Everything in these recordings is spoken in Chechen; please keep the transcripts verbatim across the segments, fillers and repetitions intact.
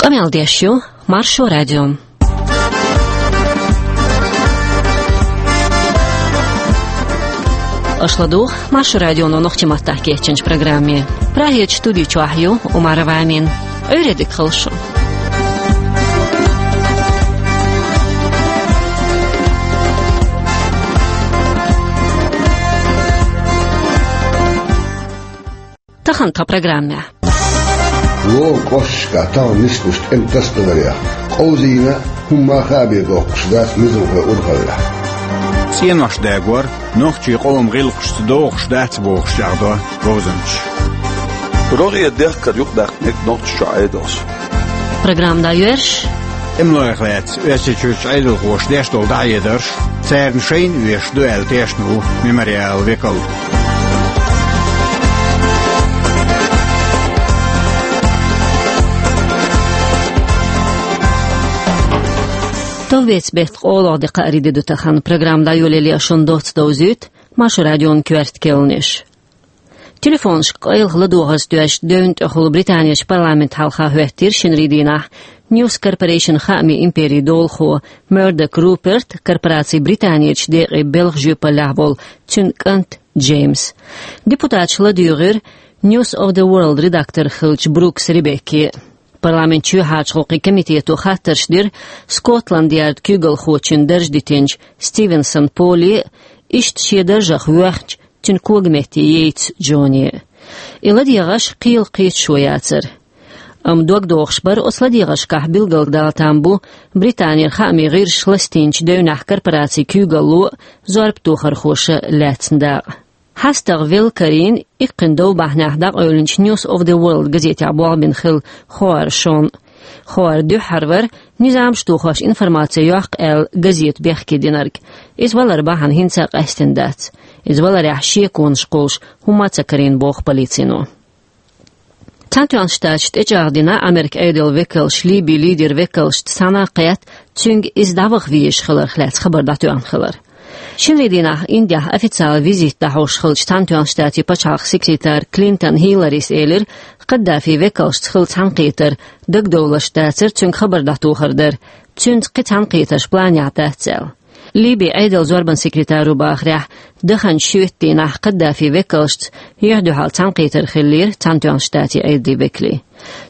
Къамел деш ю Маршо радио. Аша ладугӀу Маршо радионо нохчийн маттахь кечйинчу программе. Прагерчу студи чохь ю Умарова Амина. Ӏуьйре дика хуьлда шун. Тахана тхан программехь. Лома кӀошташкахь тахана нисбеш тӀеман тасадаларех, къовзийна а, хӀумма а хаа бен доккхуш дац низамхойн урхаллехь. ЦӀенош дагор, нохчийн къоман гӀиллакхашца догӀуш дац бохуш чӀагӀдо говзанчаша. РогӀера дехкар юкъадаккха мега Нохчийчохь Ӏедалша. Программа дӀайоьрзуш. ТӀемалойх лаьцна Оьрсийчуьрчу Ӏедалхоша деш долу дӀахьедарш царна шайна оьшуш ду аьлла тешна ву Мемориалан векал. Товбеца беттан къолгӀа де, кхаарин де ду тахана. Программа дӀайолале шун доцца довзуьйту Маршо радион коьрта керланаш. Телефонашка къайлаха ладогӀарца доьзна девнна тӀехула Британерчу парламентан хьалха хӀоьттира шинарин дийнахь News Corporation хаамийн империн долахо Мёрдок Руперт, корпораци Британерчу декъе белхан жоьпаллехь волу цуьнан кӀант Джеймс. Депутаташа ладуьйгӀира News of the World редактор хиллачу Брукс Ребекке. Парламентан чоьхьарчу гӀуллакхийн комитето хаттарш дира Скотланд-Ярд куьйгалхочун дарж дитинчу Стивенсон Поле а, иштта шен даржах воьхначу цуьнан когаметта Йейтс Джоне а. И ладегӀарш кхелан кхеташо яцара. Амма догдохуш бара оцу ладегӀаршкахь билгалдала там бу Британера хаамийн гӀирсаша ластийначу девнехь корпорацин куьйгалло а, зорбатохархоша а лаьцна дакъа. ХьастагӀа велла карийна, иккхина дов бахьанехь дӀакъевлинчу News of the World газетехь болх бина хилла Хоар Шон. Хоар дуьххьара вара низамаш тухош информаци йоккху аьлла газета бехке динарг. Иза валар бахьана хӀинца а къаьстина дац. Иза валарехь шеконаш кхуллуш хӀумма а ца карийна, боху полицино. Цхьаьнатоьхначу Штаташа тӀечӀагӀдина Америкин Ӏедалан векалш Ливин лидеран векалшца цхьаьна а кхетта, цуьнга иза дӀаваха везаш хиларх лаьцна хабар дӀатоьхна хилар. Шинарин дийнахь Индехь официалан визит дӀахьош хиллачу Цхьаьнатоьхначу Штатийн пачхьалкхан секретара Клинтон Хилларис элира, Каддафин векалшца хилла цхьаьнакхетар дагадовларш дацара, цуьнга хабар дӀатохар дара, цуьнца кхин цхьаьнакхетарш планехь дац аьлла. Ливин Ӏедалан зорбанан секретаро бахарехь, даханчу шоьтан дийнахь Каддафин векалшца юьхь-дуьхьал цхьаьнакхетар хиллера Цхьаьнатоьхначу Штатийн Ӏедалан векалийн.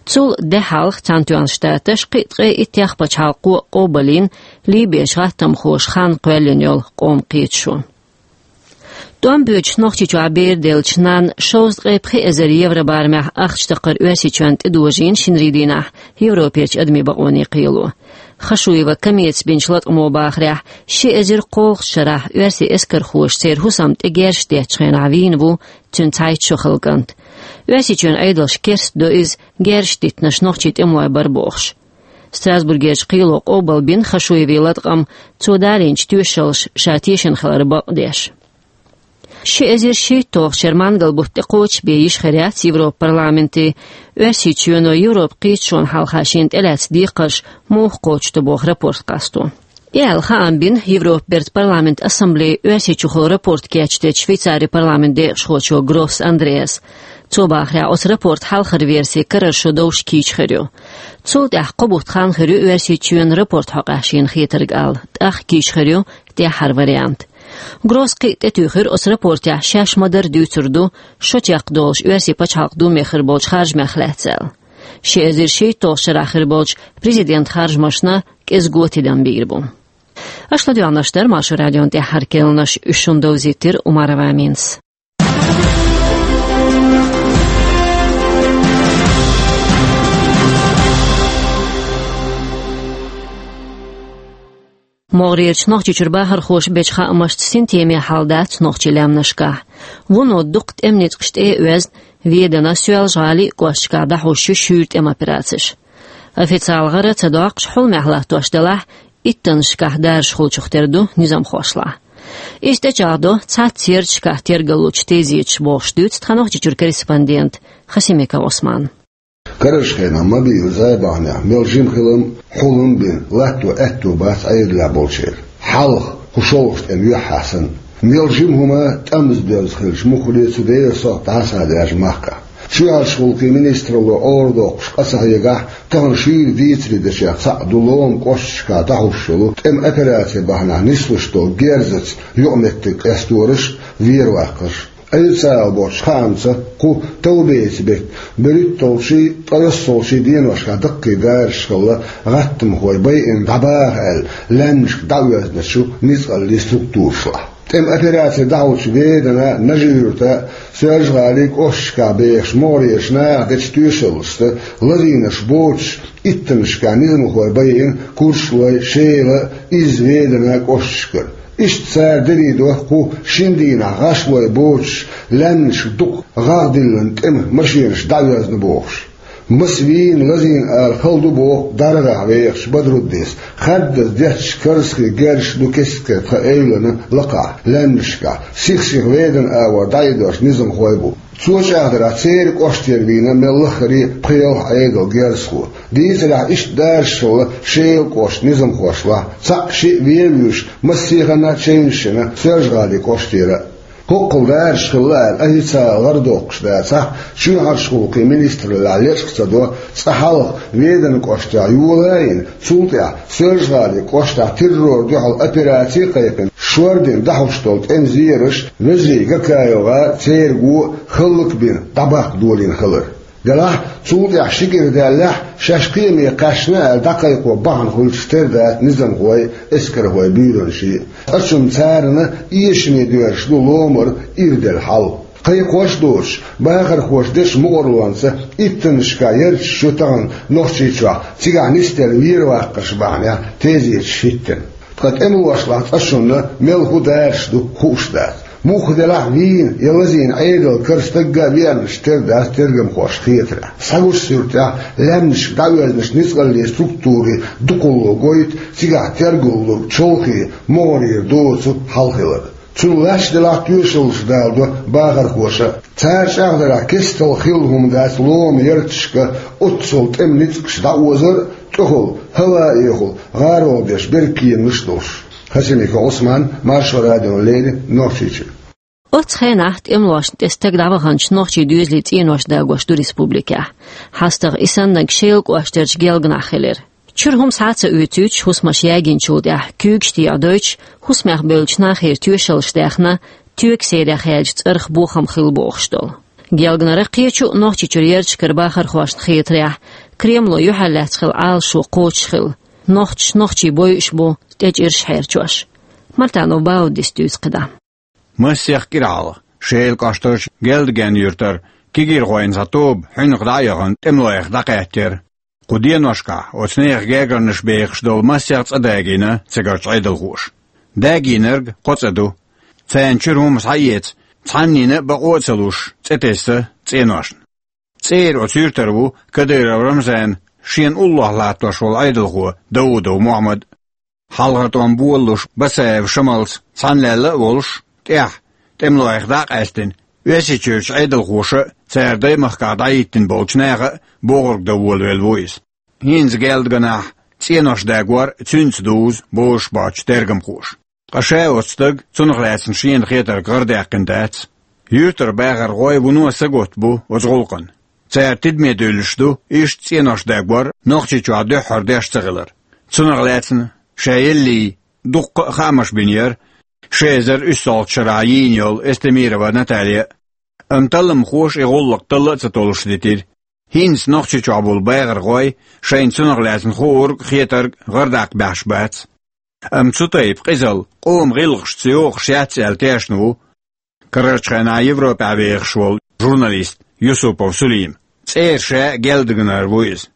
Цул де хьалха Цхьаьнатоьхначу Штаташа кхин а ткъе итт тех пачхьалкхо а къобалйина Ливеш гӀаттамхоша хан кхоьллина йолу къоман кхеташо. ТӀом боьдуш Нохчийчохь бер деллачу нанна шовзткъе пхи эзар евро барамехь ахча такхар Оьрсийчоьнна тӀедожийна шинарин дийнахь Европерчу адамийн бакъонийн кхело. Хашуева Камица бинчу латкъамо бахарехь, ши эзар кхоалгӀачу шарахь оьрсийн эскархоша церан хӀусам тӀе герзаш деттачу хенахь вийна ву цуьнан цхьайтта шо хилла кӀант. Оьрсийчоьнан Ӏедалша керстадо иза, герзаш диттинарш нохчийн тӀемалой бара бохуш. Страсбургерчу кхело къобалбина Хашуеван латкъам, цо далийначу тоьшаллаша ша тешна хилар бакъдеш. Ши эзар шийтталгӀачу шеран мангал-бутт тӀекхочушбен йиш хир яц Европан парламентан Оьрсийчоьно Европан кхеташонна хьалха шена тӀелаьцна декхарш муха кхочушдо боху рапорт къасто. И аьлла хаам бина Европан бертан парламентан ассамблея Оьрсийчухула рапорт кечдечу Швейцарин парламентан декъашхочо Гросс Андреаса. Цо бахарехь, оцу рапортан хьалхара верси карара шо довш кийча хир ю. Цул тӀаьхьа кхо бутт хан хир ю Оьрсийчоьнан рапорт хьокъехь шена хетарг ала, тӀаккха кийча хир ю тӀаьххьара вариант. Гросс кхин а тӀетуьйхира, оцу рапортехь шаьш ма-дарра дуьйцур ду, шо чекхдолуш Оьрсийн пачхьалкхан Думе хир болчу харжамех лаьцна аьлла. Ши эзар шийтталгӀачу шарахь хир болчу президентан харжамашна кӀезиго тидам бийр бу. Аша ладоьгӀнарш дара Маршо радион тӀаьххьара керланаш, уьш шуна довзийтира Умарова Аминас. МогӀарерчу Нохчийчуьра бахархоша бечу хаамашца синтеме хьал дац нохчийн лаьмнашкахь. Вуно дукха тӀеман ницкъаш тӀе а оьзна, Веданан, Соьлжа-ГӀалин а кӀошташкахь дӀахьуш ю шуьйра тӀеман операцеш. Официалан гӀара а ца доккхуш, хьулмехь латтош делахь, иттаннашкахь даржаш хуьлучух тера ду низамхошлахь. Иза тӀечӀагӀдо цхьацца ярташкахь тергаллучу тезеташа бохуш, дуьйцу тхан Нохчийчуьра корреспондента Хасимиков Ӏусмана. Карарчу хенахь мобилан зӀе бахьанехь мел жима хилам, хьулам а бина, латто аьтто бац Ӏедалехь болчеран. Хьалха, кху шолгӀачу тӀеман юьххьехь санна, мел жима хӀума тӀамза доьзна хилча, муххале цу дера сохьта дӀасадаьржа махкахь. Чоьхьарчу гӀуллакхийн министралло арадоккхуш къа ца хьегахь, тахана шуьйра дийцаре дечех цхьаъ ду лома кӀошташкахь дӀахьуш йолу, тӀеман операци бахьанехь нислуш долу герзаца юкъаметтиг къестораш а, вер ваккхарш а. Официалан боцчу хаамца, кху товбеца беттан берхӀитталгӀачий, ткъайоьссалгӀачий деношкахь даккхий дараш хилла гӀаттамхой байина дӀабаха аьлла, лаьмнашка дӀаоьзначу ницкъаллийн структурашлахь. ТӀеман операци дӀахьочу Веданан, Нажи-Юьртан, Соьлжа-ГӀалин кӀошташкахь бехачу могӀарерчу наха дечу тоьшаллашца, лазийнарш боцуш, иттаннашкахь низамхой байина Курчалойн, Шелан, Изза-Веданан кӀошташкара. Иштта цара дерриг доху кху шина дийнахь гӀашлой боцуш, лаьмнашка дукха гӀагӀ диллина тӀеман машенаш дӀаоьзна бохуш. Маса вийна, лазийна ала хала ду боху ДаргӀехь вехачу Бадруддис. Хаддаза детташ карзахе герзаш ду кест-кеста тхан эвлана лакхахь, лаьмнашкахь, сих-сиха Веданан агӀор дӀаидош низамхой бу. Цо чӀагӀдарехь, церан кӀоштера вийна мел лаххара пхи-ялх Ӏедалан герзахо. Дийцарехь, иштта дараш хилла Шелан кӀоштан низамхошлахь, цхьаъ-шиъ вен а вуьйш, массехана а чевнаш йина Соьлжа-ГӀалин кӀоштера а. ХӀоккхул дараш хилла аьлла, официалан гӀар доккхуш дацахь, чоьхьарчу гӀуллакхийн министраллехь лечкъа ца до, цкъа хьалха Веданан кӀоштехь йола а йина, цул тӀаьхьа Соьлжа-ГӀалин кӀоштахь террорна дуьхьал операци а кхайкхина, шордина дӀахьуш долу тӀеман зераш, вежарий ГакаевгӀар а, церан го а хӀаллакбина дӀабаккха долийна хилар. Делахь, цул тӀаьхьа ши кӀира даьллехь, шаьш кхиаме кхаьчна аьлла дӀакхайкхо бахьана хуьлуш тера дац низамхой а, эскархой а, буьйранаш а. Ткъа цунна царна эшаме доьрзуш ду ломара ирделла хьал. Кхайкхош а доцуш, бахархоша дечу мукъарлонца иттаннашкахь ярташ ю тахана Нохчийчохь, цигахь нисделла вер ваккхарш бахьанехь тезеташ хӀиттина. Ткъа тӀемалошлахь цкъа шуна мел хӀун дараш ду хууш дац. Муха делахь а вийна я лазийна Ӏедалан кара стагга а веанарш тера дац тергамхошна хетарехь. Схьагучу суьртехь, лаьмнашка дӀаоьзначу ницкъаллийн структурийн дукхалло гойту цигахь тергаллург чолхе могӀарера доцу хьал хилар. Цунна лаьцна делахь а тоьшаллаш даладо бахархоша. Цара чӀагӀдарехь, кестта хилла хӀума дац лома ярташка оццул тӀеман ницкъаш дӀаозар а, тӀехула, хӀаваэхула гӀаролла деш берриг кеманаш а долуш. Хасимиков Ӏусман, Маршо радиона леррина, Нохчийчуьра. Оццу хенахь тӀемалошна тӀе стаг дӀаваханчу нохчийн доьзалийн цӀенош дагош ду республикехь. ХьастагӀа и саннарг Шелан кӀоштерчу Гелганахь хилира. Чуьра хӀума схьа а ца оьцуьйтуш, хӀусамаш ягийначул тӀаьхьа куьйгаш тӀехьа дойтуш, хӀусамех бевллачу нахера тоьшаллаш даьхна, тоьган серех яьллачу цӀарах бохам хилла бохуш долу. Гелганара, кхечу а Нохчийчуьра ярташкара бахархошна хетарехь, Кремло юьхьарлаьцна хилла Ӏалашо кхочуш хилла. Нохчаш нохчий бойуш бу, тӀечӀираш хьерчош. Мартанов Бауддис дуьйцу кхидӀа. Масех кӀира хьалха Шелан кӀоштарчу Гелдган-Юьртара кегийрхойн цхьа тоба хьуьнах дӀа а яхана, тӀемалойх дӀакхаьчнера. Кху деношкахь оцу нехан гергарнаш бехаш долу масех цӀа дагийна цигарчу Ӏедалхоша. Дагийнарг кхо цӀа ду. Царна чуьра хӀума схьаэца, цхьаннина а бакъо а ца луш, цӀе тесна цӀеношна. ЦӀера оцу юьртара ву Кадыров Рамзан шена уллохь латтош волу Ӏедалхо Даудов Мухьаммад. Хьалхара тӀом болалуш Басаев Шамалца цхьаьна лелла а волуш, тӀаьхьа, тӀемалойх дӀа а къаьстина, Оьрсийчуьрчу Ӏедалхоша а, цара даймахкахь дӀахӀиттина болчу наха а бохург дан волавелла ву иза. ХӀинца Гелдганахь цӀенош дагор цуьнца дузу бозуш боцчу тергамхоша. Ткъа ша оцу стага цунах лаьцна шена хетарг гӀардаьккхина дац. Юьртара бахархой вуно сагатта бу оцу гӀуллакхна. Цара тидаме дуьллуш ду иштта цӀенош дагор Нохчийчохь дуьххьара деш ца хилар. Цунах лаьцна ша еллий дуккха а хаамаш бинера ши эзар уьссалгӀачу шарахь йийна йолу Эстемирова Наталья а. Амма талламхоша и гӀуллакх талла а ца толлуш дитира. ХӀинца Нохчийчохь болу бахархой шайна цунах лаьцна хуург а, хетарг а гӀардаккха баьхьаш бац. Амма цу тайпа къизалла къоман гӀиллакхашца йохуш яц аьлла тешна ву карарчу хенахь Европехь вехаш волу журналист Юсупов Сулим. ЦӀера ша Гелдганара ву иза.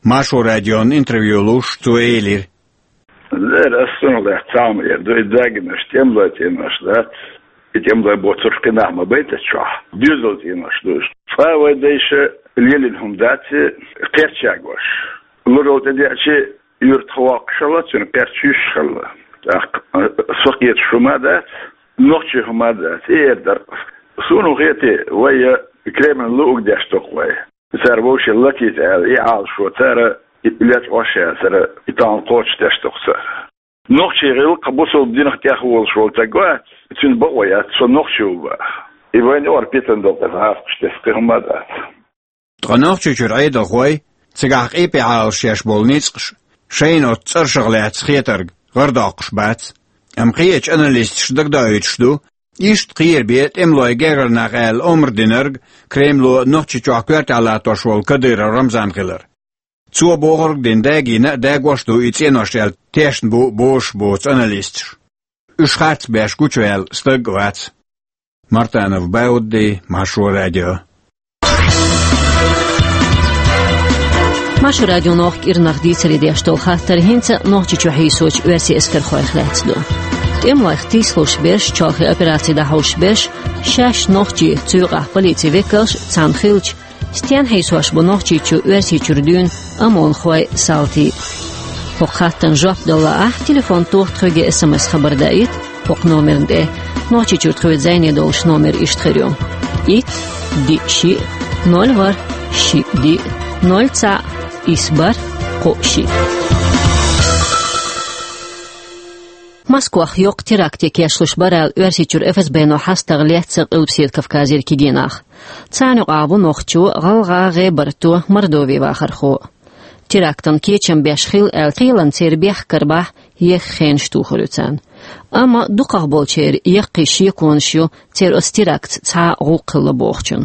Маршо радиона интервью луш, цо элира: «Дера, ас цунах лаьцна цхьа хӀума эр ду, и дагийнарш тӀемалойн цӀенош дац, и тӀемалой боцурш кхин нах ма байтара чохь, доьзалан цӀенош ду уьш. Цкъа вайн дайша лелийна хӀума дац и, кхерч ягош. Луралла тӀедеъча, юьртах воккхуш хилла, цуьнан кхерч юьсуш хилла. ТӀаккха со кхеташ хӀума а дац, нохчийн хӀума а дац, и эр дара. Суна хетий, вай Кремльна луург деш ду-кх вай. Цара вовшийн латийта аьлла, и Ӏалашо цара, и лечкъош яцара, и тахана кхочушдеш ду-кх цара. Нохчийн гӀиллакх бусалба динах тӀехволуш волу стаг вац, цуьнан бакъо яц, со нохчи ву боху. И вайн ор питан долу тӀе гӀазкхаш тесна кхин хӀума а дац. Ткъа Нохчийчуьра Ӏедалхой, цигахь къепе Ӏалашъеш болу ницкъаш, шайна оцу цӀерашах лаьцна хетарг гӀардоккхуш бац. Амма кхечу аналисташа дагадоуьйтуш ду, иштта кхера бен тӀемалойн гергара нах аьлла омра динарг Кремло Нохчийчохь коьртехь латтош волу Кадыров Рамзан хилар. Цо бохург а дина, дагийна а, дагош а ду и цӀенош аьлла тешна бу бозуш боцу аналисташ. Уьш харц беш гучуваьлла стаг а вац. Мартанов Баудди, Маршо радио. Маршо радионо кӀирнах дийцаре деш долу хаттар хӀинца а Нохчийчу хьийсочу оьрсийн эскархойх лаьцна ду. ТӀемалойх тийсалуш берш, чолхе операци дӀахьуш берш, шаьш нохчий, цу юкъахь полицин векалш цхьаьна хилча, стенна хьийсош бу Нохчийчу Оьрсийчуьра дуьйна ОМОНхой, салтий? ХӀокху хаттарна жоп дала лаахь, телефон тоха тхоьга, СМС хабар даийта хӀокху номерна тӀе. Нохчийчуьра тхоьца зӀене долуш номер иштта хир ю: итт, диъ, шиъ, ноль, ворхӀ, шиъ, диъ, ноль, цхьаъ, исс, бархӀ, кхоъ, шиъ. Москвахь йоккха теракте кечлуш бара аьлла, Оьрсийчуьра ФСБ-но хьастагӀа лецна Къилбаседа Кавказера кегий нах. Царна юкъахь ву нохчо, гӀалгӀа, гӀебарто, Мордовин вахархо. Терактан кечам беш хилла аьлла, кхелан церан бехк карабахь, еха хенаш тухур ю царна. Амма дукхахболчеран яккхий шеконаш ю, церан оцу терактца цхьа а гӀуллакх хилла бохучун.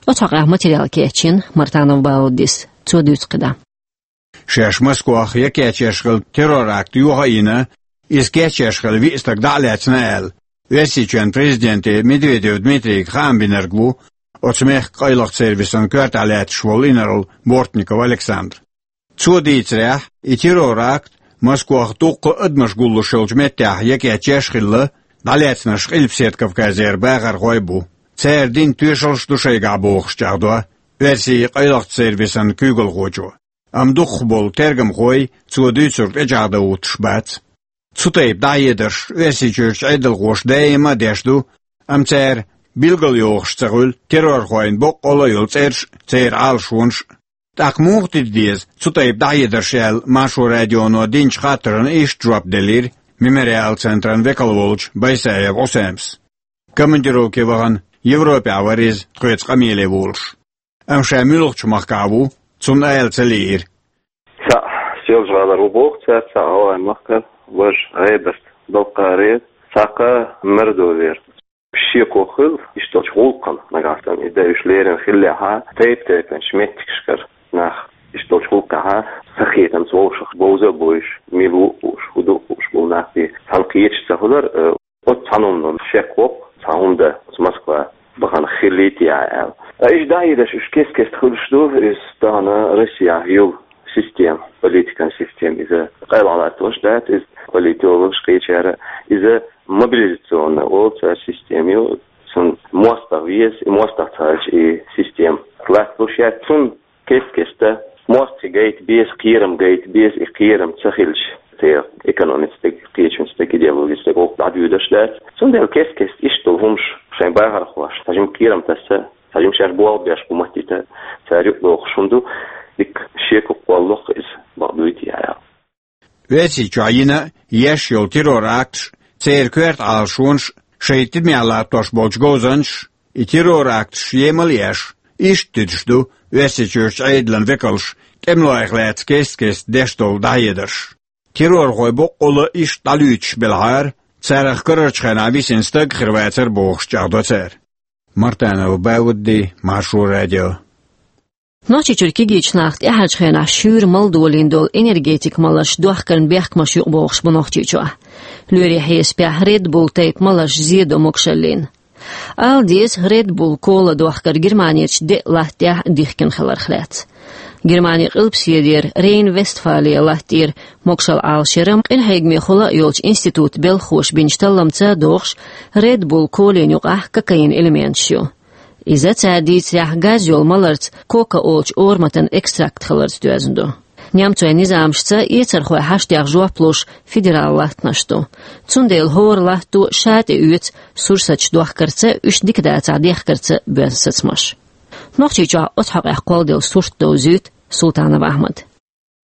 Оцу хьокъехь материал кечйина Мартанов Бауддис, цо дуьйцу кхидӀа. Шаьш Москвахь я кечъеш хилла террор-акт йоха а йина, иза кечъеш хилла виъ стаг дӀа а лаьцна аьлла, Оьрсийчоьнан президенте Медведев Дмитрийга хаам бинарг ву оцу мехкан къайлахчу сервисан коьртехь лаьтташ волу инарла Бортников Александр. Цо дийцарехь, и террор-акт Москвахь дуккха а адамаш гуллуш йолчу меттехь я кечъеш хилла, дӀалаьцнарш Къилбаседа Кавказера бахархой бу. Цара дина тоьшаллаш ду шайгахь бохуш чӀагӀдо оьрсийн къайлахчу сервисан куьйгалхочо. Амма дукхахболу тергамхой цо дуьйцург тӀечӀагӀдан гӀуттуш бац. Цу тайпа дӀахьедарш Оьрсийчуьрчу Ӏедалхоша даима а деш ду, амма цара билгалйохуш ца хуьлу террорхойн боккъалла а йолу цӀераш а, церан Ӏалашонаш а. ТӀаккха муха тида деза цу тайпа дӀахьедарш аьлла, Маршо радионо динчу хаттарна иштта жоп делира Мемориал центран векал волчу Байсаев Ӏусамас. Командировке вахана, Европехь вара иза тхоьца къамеле волуш. Амма ша муьлхачу махкахь ву, цунна ала ца лиира. Цхьаъ Соьлжа-ГӀалара ву боху цара, цхьаъ ГӀалгӀайн махкара, важа ГӀебарта, Балкхарера, цхьаъ кха Мордовера. Шеко хуьлу иштта долчу гӀуллакхана, нагахь санна и дан уьш лерина хиллехь а, тайп-тайпанчу меттигашкара нах иштта долчу гӀуллакхехь а, сахетамца вовшах бовза а бовзуш, мила ву а вууш, хӀун ду а хууш болу нах бен цхьаьна кхеташ ца хуьлура, э, оцу цхьана хӀуманна шек воккху, цхьа хӀума дан оцу Москва бахана хилийта а аьлла. Ткъа иштта дӀахьедарш уьш кест-кеста хуьлуш ду, иза тахана Россехь йолу система, политикан система, иза къайлаха латтош дац, иза политологаш кхечара, иза мобилизационная олу цара система ю, цунна мостагӀа веза, и мостагӀа ца хилча и система латталуш яц, цунна кест-кеста мостагӀий гайта беза, кхерам гайта беза, и кхерам ца хилча, те экономица стаг, кхечун стаг, идеологица стаг, оха дӀадоьдуш дац. Цундела кест-кеста иштта долу хӀумаш шайн бахархошна, цхьа жима кхерам тасса, цхьа жима шаьш болх беш хӀума хӀиттийта, цара юкъадохуш хӀума ду, дика шеко кхоллалуш иза бакъ дуй те аьлла. Оьрсийчохь йина а, еш йолу террор-акташ, церан коьрта Ӏалашонаш, шайн тидамехь латтош болчу говзанчаш, и террор-акташ емал а еш, иштта туьдуш ду Оьрсийчуьрчу Ӏедалан векалш тӀемалойх лаьцна кест-кеста деш долу дӀахьедарш. Террорхой боккъалла иштта дӀалуьйчуш белахьара, царах карарчу хенахь висина стаг хир вацара бохуш чӀагӀдо цара. Мартанов Баудди, Маршо радио. Нохчийчуьра кегийчу наха тӀаьхьарчу хенахь шуьйра мала долийна долу энергетикан маларш дохкарна бехкамаш юкъабохуш бу Нохчийчохь. Лоьрийн хьесапехь Red Bull тайпа маларш зен до могушаллина. Ала деза, Red Bull кола дохкар Германерчу деа латта тӀехь дихкина хиларх лаьцна. Германин къилбаседера Рейн-Вестфалия латта тӀера могушалла Ӏалашъяран къинхьегамехула а йолчу институтан белхахоша бинчу талламца догӀуш, Red Bull колин юкъахь кокаинан элементаш ю. Иза, цара дийцарехь, газ йолу маларца кока олучу ораматан экстракт хиларца доьзна ду. Немцойн низамашца эцархойн хьаштех жоп луш федерал латтанаш ду. Цундела хӀора латто ша тӀеоьцу сурсаташ дохкарца, уьш дика дацахь дехкарца боьзна сацамаш. Нохчийчохь оцу хьокъехь кхолладелла сурт довзуьйту Султанов Ахьмада.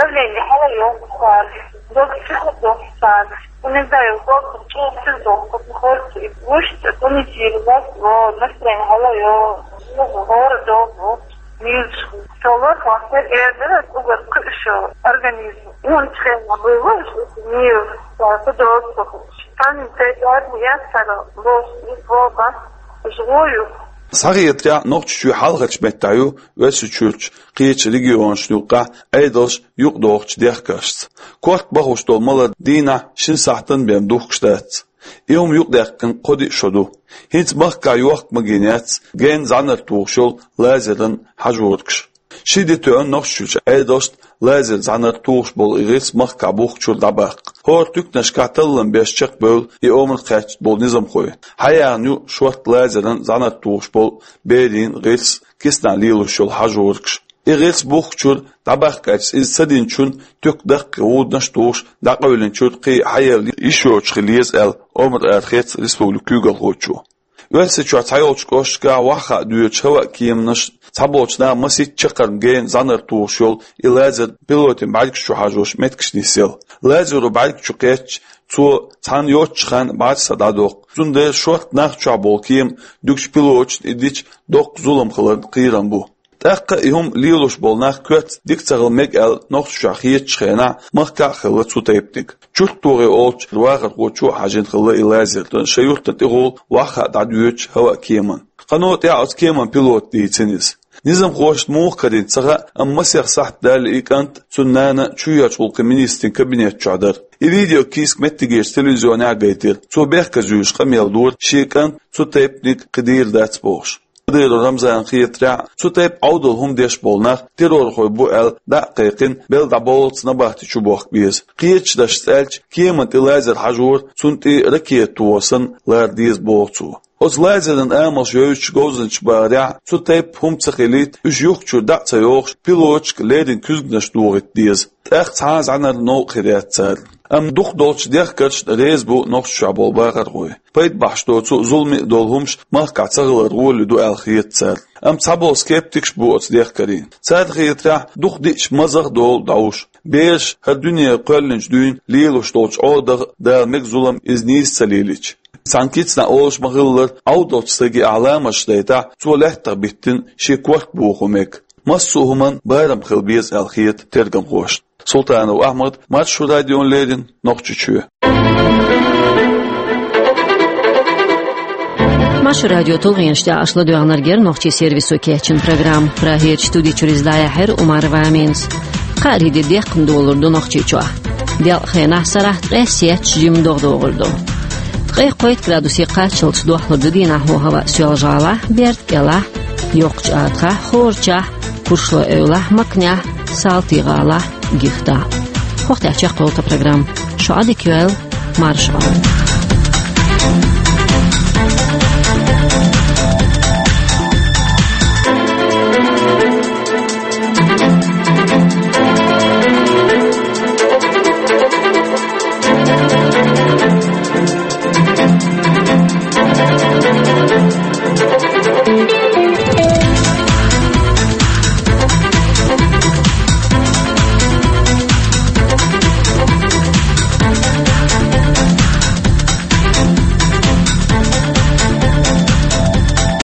Давление хьалайо, дог психо дохсан. Не знаю, дог чувствую, дог, как не хочется. И мышцы тонизировать, вот, настроение хьалайо, ну, город, вот, милочку. Салат, мастер, эрдер, угар кышо, организм. И он член, вывозит, мир, да, подолгу. Там, те, я, я, сара, лос, и, воба, живую. Схьахетарехь, Нохчийчоь хьалхарчу меттехь ю Оьрсийчуьрчу кхечу регионашна юккъехь Ӏедалш юкъадохучу дехкаршца. Корта бахош долу малар дийнахь шина сахьтана бен духкуш дац. И хӀума юкъадаьккхина кхо-диъ шо ду. ХӀинца махкахь йохка магийна яц генна зӀаьнар тухуш йолу лазеран хьажоргаш. Ши де тоьъна Нохчийчуьрчу Ӏедалшна лазеран зӀаьнар тухуш болу и гӀирс махкахь бухкучуьра дӀабаккха. ХӀора туьканашкахь таллам беш чекхбевлла и омра кхаьчна болу низамхой. Хьаяьхна ю шортта лазеран зӀаьнар тухуш болу берийн гӀирс, киснахь лелош йолу хьажоргаш. И гӀирс бухкучуьра дӀабаккхича, иза ца динчунна туька даккхий гӀуданаш а тухуш, дӀакъевлинчуьра кхин а хьаелла йиш йоцуш хила еза аьлла, омра арахецна республикан куьйгалхочо. Оьрсийчохь цхьайолчу кӀошташкахь охьахаа доьдучу хӀаваан кеманаш цхьаболчу наха масийтта чаккхарма генна зӀаьнар тухуш йолу и лазер пилотийн бӀаьргаш чу хьажош меттигаш нисъелла. Лазеро бӀаьрг чу кхеттача, цо цхьанна йоццучу хенахь бӀаьрса дӀадоккху. Цундела шортта нах чохь болу кема дуьгучу пилоташна и дича доккха зулам хиларна кхерам бу. ТӀаккха и хӀума лелош болу нах коьртаца дика ца хила мега аьлла, Нохчийчохь хетачу хенахь махкахь а хилла цу тайпаниг. ЧурттогӀи олучу вахархочо а хьажийна хилла и лазер, шайн юьртана тӀехула охьахаа дӀадоьдучу хӀаваан кеманна. Кхано тӀаьхьа оцу кеманан пилота дийцина иза. Низамхошна муха карийна ца хаьа, амма масех сахьт даьлла и кӀант цуьнан нана чоьхьарчу гӀуллакхийн министрийн кабинет чохь дара. И видеокийсак меттигерчу телевизионехь а гайтира. Цо бехказа юьйлуш къамел дора, шен кӀант цу тайпаниг кхин дийр дац бохуш. Кадыров Рамзанна хетарехь, цу тайпа Ӏовдал хӀума деш болу нах террорхой бу аьлла дӀа а кхайкхина, белла дӀабовллалц набахти чу бохка беза. Кхечу дашца аьлча, кеманна тӀе лазер хьажор цунна тӀе ракета тохар санна лара деза боху цо. Оцу лазеран амалш йовзучу говзанчаша бахарехь, цу тайпа хӀума ца хилийта, уьш юххачуьра дӀа а ца йохуш, пилоташка леррина куьзганаш дохийта деза. ТӀаккха цхьа а зӀаьнар новкъа хир яц царна. Амма дукхахдолчу дехкаршна реза бу Нохчийчохь болу бахархой. Пайда бахьаш доцу, зуламе а долу хӀумаш махкахь ца хилар гӀоли ду аьлла хета царна. Амма цхьаболу скептикаш а бу оцу дехкарийн. Царна хетарехь, дукха диъча мазах а долу дӀовш. Бераш хӀара дуьне кхоьллинчу дуьйна лелош долчу Ӏодах а Дала мега зулам иза нийса ца лелийча. Цхьана кицанна олуш ма-хиллара, Ӏовдалчу стаге ахь ламазаш дайтахь, цо лаьттах биттина шен корта бохо мега. Массо а хӀуманна барам хила беза аьлла хета тергамхошна. Султанов Ахьмад, Маршо радиона леррина, Нохчийчоь. Маршо радион тулгӀенаш тӀехь аша ладоьгӀнарг яра нохчийн сервисо кечйина программа. Прагерчу студи чуьра иза дӀаяьхьира Умарова Аминас. Кхаарин де декхна долур ду Нохчийчохь. Делкъа хенахь сарахь ткъе сетташ жимма догӀа догӀур ду. Ткъе кхойтта градусе кхаччалц дохлур ду дийнахь хӀаваъ Соьлжа-ГӀалахь, Берда-КӀелахь, Йоккхачу АтагӀахь, Хорачахь, Куршлой-Эвлахь, Макнехь, Салтий-ГӀалахь, Гихтахь. ХӀокху тӀехь чекхйолу тхан программа. Шу Ӏадика йойла, марша Ӏойла.